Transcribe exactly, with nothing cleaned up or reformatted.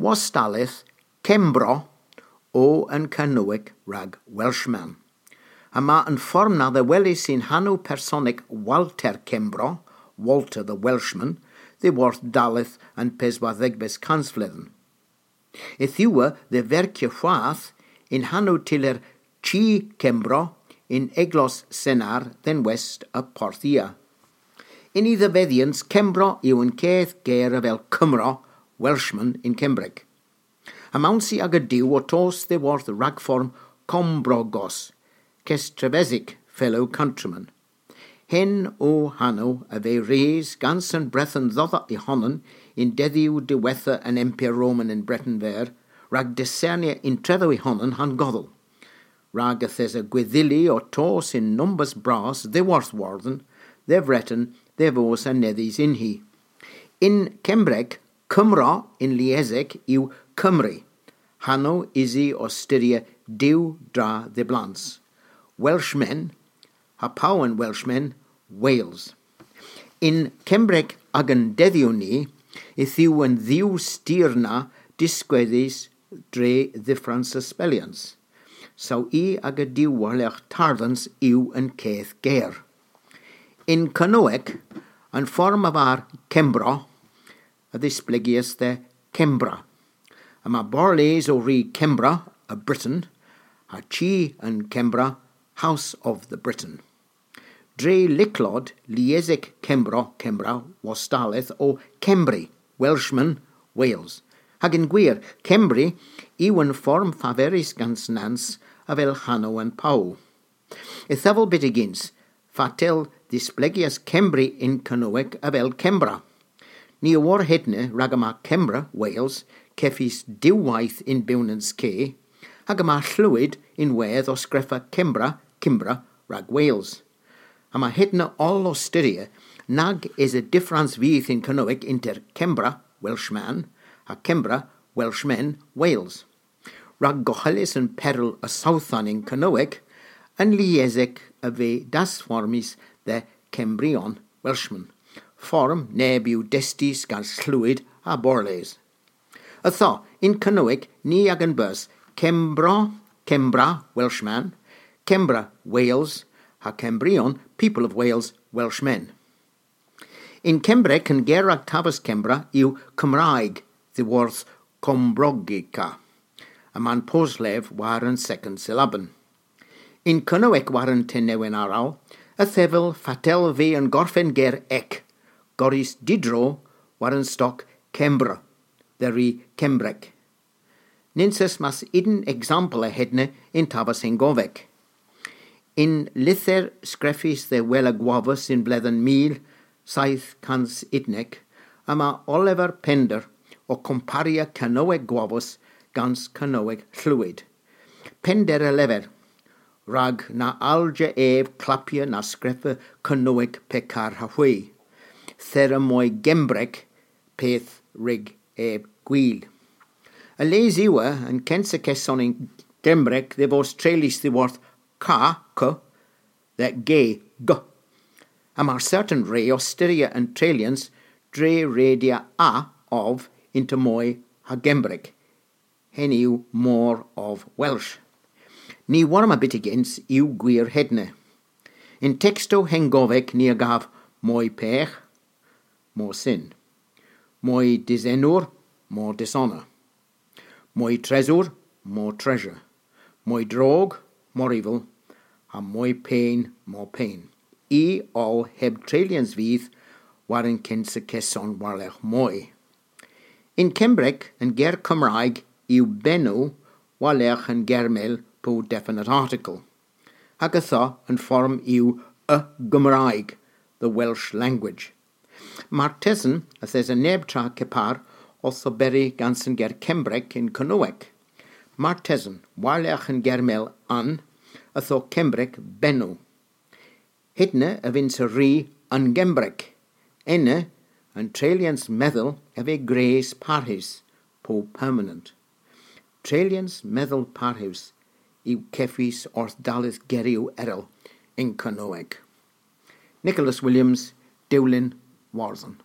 Wostalleth Kembro o an Kernowek rag Welshman. Yma an form na dhe weles yn hanow personek Walter Kembro, Walter the Welshman, dhyworth dalleth an peswardhegves kansvledhen. Yth yw dhe verkya hwath yn hanow tyller Chi Kembro yn eglos Sennar dhe'n west a Porthia. Yn y dhevedhyans, Kembro yw an keth ger avel Cymro, Welshman yn Kembrek. Amounsi aga diw ow tos dhyworth ragform Kombrogos, kestrevesik, fellow countryman. Henn o hanow a veu res gans an Breten dhodha y honan yn dedhyow diwettha an Empyr Roman yn Breten Veur, rag disernya yntredho y honan ha'n godhel. Rag yth esa gwedhili ow tos yn nombas bras dhyworth Iwerdhon, dhe Vreten, dhe vos anedhys yn hi. Yn Kembrek, Cymro yn liesek yw Cymru, hanow usi ow styrya diw dra dhiblans. Welshmen, ha pow an Welshmen, Wales. Yn Kembrek agan dedhyow ni, yth yw an dhiw styr na diskwedhys dre dhyffrans a spellyans. Saw i aga diw war-lergh tardhans yw an keth ger. Yn Kernowek, an form a var Kembro, a dhisplegyas dhe Kembra. Yma borrles ow ri Kembra a Britain, ha chi an Kembra, House of the Britain. Dre lyklod, liesek Kembro, Kembra, wostalleth o Kembri, Welshman, Wales. Hag yn gwir, Kembri yw an form faverys gans Nans avel hanow an pow. Ytho, byttegyns, fatel dhisplegyas Kembri yn Kernowek avel Kembra? Ni a wor hedna rag yma Kembra, Wales, kevys diwweyth yn bewnans K, hag yma Llwyd ynwedh ow skrifa Kembra, Kimbra, rag Wales. Yma hedna oll ow styrya nag esa dyffrans vyth yn Kernowek ynter Kembra, Welshman, ha Kembra, Welshmen, Wales. Rag gohelys an peryl a sowthan yn Kernowek, an liesek a veu dasformys dhe Kembrion, Welshmen. Form neb yw destys gans Llwyd ha borrles. Ytho, yn Kernowek, ni a'gan bys Kembro, Kembra, Welshman, Kembra, Wales, ha Kembrion, people of Wales, Welshmen. Yn Kembrek, an ger rag tavas Kembra yw Cymraeg, dhyworth Cwmbrogica. Yma'n poslev war an second syllaben. Yn Kernowek, war an tennewen arall, yth yw fatel veu an gorfen ger ek, gorrys didro war an stok Kembr, dhe ri Kembrek. Nyns eus mas unn eksampel a hedna yn tavas hengovek. Yn lyther skrifys dhe Wella Gwavas yn bledhen mil seyth kans unnek, yma Oliver Pender ow komparia Kernowek Gwavas gans Kernowek Llwyd. Pender a lever, rag na allja ev klappya na skrifa Kernowek pekar ha hwi. Thera moy Gembrek, peth rag ev gwil. A-les yw an kensa keson yn Gembrek dhe vos treylys dhyworth ka, k, dhe ge, g. Ha mar certan re ow styrya an treylyans dre redya a, ov, ynter moy ha Gembrek. Henn yw more of Welsh. Ny wor ma byttegyns yw gwir hedna. Yn tekstow hengovek ni a gav moy pegh, more sin. Moy dysenour, more dishonour. Moy tresour, more treasure. Moy drog, more evil. Ha moy pen, more pain. I oll heb treylyans vyth war an kensa keson war-lergh moy. Yn Kembrek, an ger Cymraeg yw benw war-lergh an germel po definite article. Hag ytho, an form yw y Gymraeg, the Welsh language. Martesen yth esa neb tra kepar owth oberi gans an ger Kembrek yn Kernowek. Martesen, war-lergh an germel an, ytho Kembrek benw. Hedna a vynnsa ri an Gembrek. Ena, an treylyans medhel a veu gwrys parhus, po permanent. Treylyans medhel parhus yw kevys orth dalleth geryow erel yn Kernowek. Nicholas Williams, Dewlin, Iwerdhon.